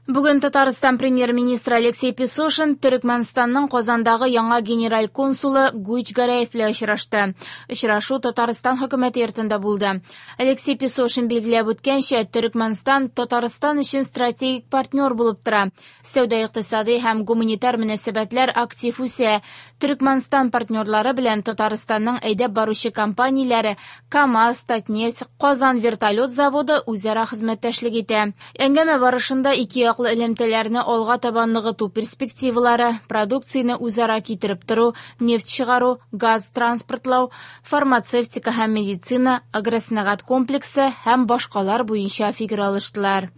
Бүген Татарстан премьер-министры Алексей Песошин Төрекмәнстанның Казандагы яңа генераль консулы Гуйч Гәрәев белән очрашты. Очрашу Татарстан хөкүмәте йортында булды. Алексей Песошин билгеләп үткәнчә, Төрекмәнстан Татарстан өчен стратегик партнер булып тора. Сәүдә-икътисади һәм гуманитар мөнәсәбәтләр актив үсә. Төрекмәнстан партнерлары белән Татарстанның әйдәп баручы компанияләре КАМАЗ, Татнефть, Казан вертолет заводы үзара хезмәттәшлек итә. Әңгәмә барышында ике яклы элемтәләрне алга таба ныгыту перспективалары, продукцияне үзара китереп тору, нефть чыгару, газ транспортлау, фармацевтика һәм медицина, агросәнәгать комплексы һәм башкалар буенча фикер алыштылар.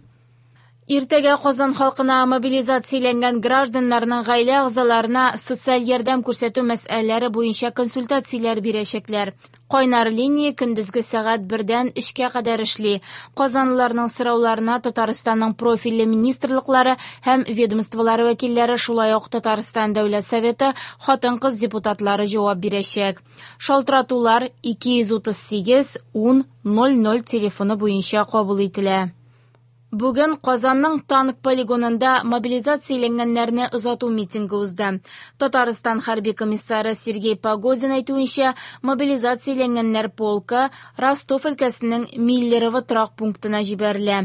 Иртәгә Казан халкына мобилизацияләнгән гражданнарның гаилә әгъзаларына социаль ярдәм күрсәтү мәсьәләләре буенча консультацияләр бирәчәкләр. Кайнар линия көндезге сәгать 1-дән 3-кә кадәр эшли. Казанлыларның сорауларына Татарстанның профильле министрлыклары һәм ведомстволары вәкилләре, шулай ук Татарстан Дәүләт Советы хатын-кыз депутатлары җавап бирәчәк. Шалтыратулар 238 10 00 телефоны буенча кабул ителә. Бүген Казанның танк полигонында мобилизацияләнгәннәрне озату митингы узды. Татарстан хәрби комиссары Сергей Погодин әйтүенчә, мобилизацияләнгәннәр полкы Ростов өлкәсенең Миллерово торак пунктына җибәрелә.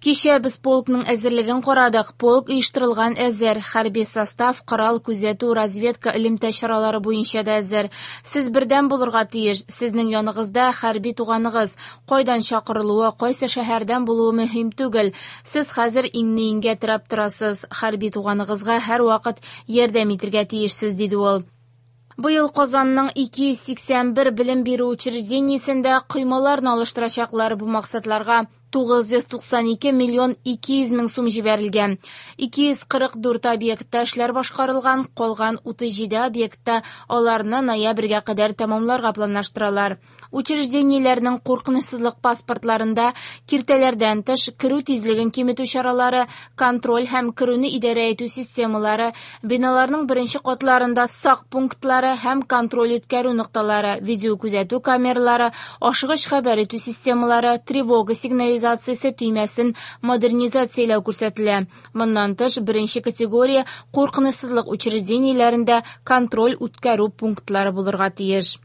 Кичә без полкның әзерлеген карадык. Полк оештырылган әзер. Хәрби состав, корал, күзәтү, разведка, элемтә чаралары буенча да әзер. Сез бердәм булырга тиеш. Сезнең яныгызда хәрби туганыгыз. Кайдан чакырылуы, кайсы шәһәрдән булуы мөһим түгел. Сез хәзер иңне иңгә терәп торасыз. Хәрби туганыгызга һәрвакыт ярдәм итәргә тиешсез, диде ул. Быел Казанның 281 белем бирү учреждениесендә коймаларны алыштырачаклар. Бу максатларга 992 миллион 200 мең сум җибәрелгән. 244 объектта эшләр башкарылган, калган 37 объектта аларны ноябрьгә кадәр тәмамларга планлаштыралар. Учреждениеләрнең куркынычсызлык паспортларында киртәләрдән тыш керү тизлеген киметү чаралары, контроль һәм керүне идарә итү системалары, биналарның беренче катларында сак пунктлары һәм контроль үткәрү нокталары, видеокүзәтү камералары, ашыгыч хәбәр итү системалары, тревога сигнализациясе төймәсен модернизацияләү күрсәтелә. Моннан тыш, беренче категория куркынычсызлык учреждениеләрендә контроль үткәрү пунктлары булырга тиеш.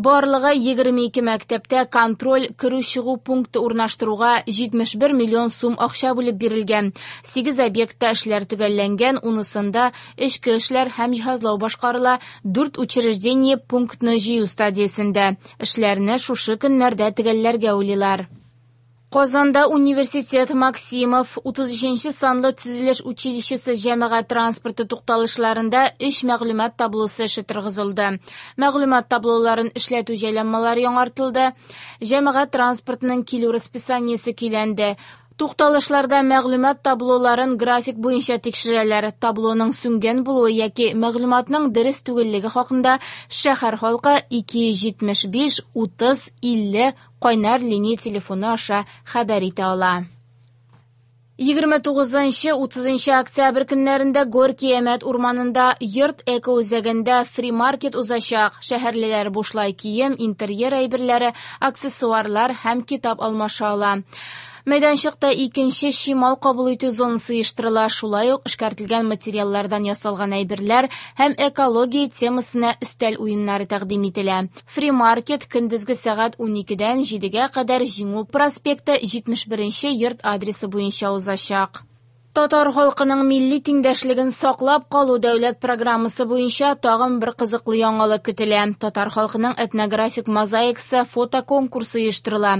Барлыгы 22 мәктәптә контроль керү-чыгу пункты урнаштыруга 71 миллион сум акча бүлеп бирелгән. 8 объектта эшләр төгәлләнгән, унысында эчке эшләр һәм җиһазлау башкарыла, 4 учреждение пунктны җыю стадиясендә. Эшләрне шушы көннәрдә төгәлләргә уйлыйлар. Казанда университет Максимов 33 санлы төзелеш училищесы җәмәгать транспорты тукталышларында 3 мәгълүмат таблосы эше торгызылды. Мәгълүмат таблоларын эшләтү җайланмалары яңартылды. Җәмәгать транспортының килү расписаниесе көйләнде. Тукталышларда мәгълүмат таблоларын график буенча тикшерәләр. Таблоның сүнгән булуы яки мәгълүматның дөрес түгеллеге хакында шәһәр халкы 275 30 50 кайнар линия телефоны аша хәбәр итә ала. 29-30 октябрь көннәрендә Горький Әмәт урманында йорт эко-үзәгендә фри-маркет узачак. Шәһәрлеләр бушлай кием, интерьер әйберләре, аксессуарлар һәм китап алмаша ала. Мәйданчыкта икенче чимал кабул итү зонасы оештырыла, шулай ук эшкәртелгән материаллардан ясалган әйберләр һәм экология темасына өстәл уеннары тәкъдим ителә. Фри-маркет көндезге сәгать 12-дән 7-гә кадәр Җиңү проспекты 71 йорт адресы буенча узачак. Татар халкының милли тиңдәшлеген саклап калу дәүләт программасы буенча тагын бер кызыклы яңалык көтелә. Татар халкының этнографик мозаикасы фотоконкурсы оештырыла.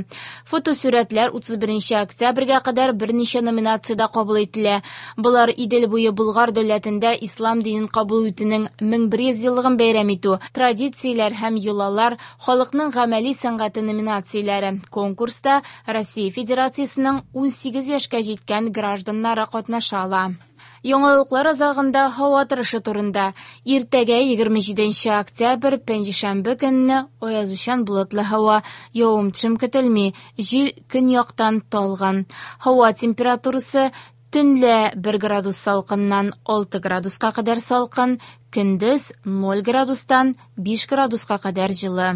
Фотосурәтләр 31 октябрьгә кадәр берничә номинациядә кабул ителә. Болар Идел буе Болгар дәүләтендә ислам динен кабул итүнең 1100 еллыгын бәйрәм итү, традицияләр һәм йолалар, халыкның гамәли сәнгате номинацияләре. Конкурста Россия Федерациясенең 18 яшькә җиткән гражданнары катнаша ала. Яңалыклар азагында һава торышы турында. Иртәгә 27 октябрь, пәнҗешәмбе көнне аязучан болытлы һава, явым-төшем көтелми, җил көньяктан талгын. Һава температурасы төнлә 1 градус салкыннан 6 градуска кадәр салкын, көндез 0 градустан 5 градуска кадәр җылы.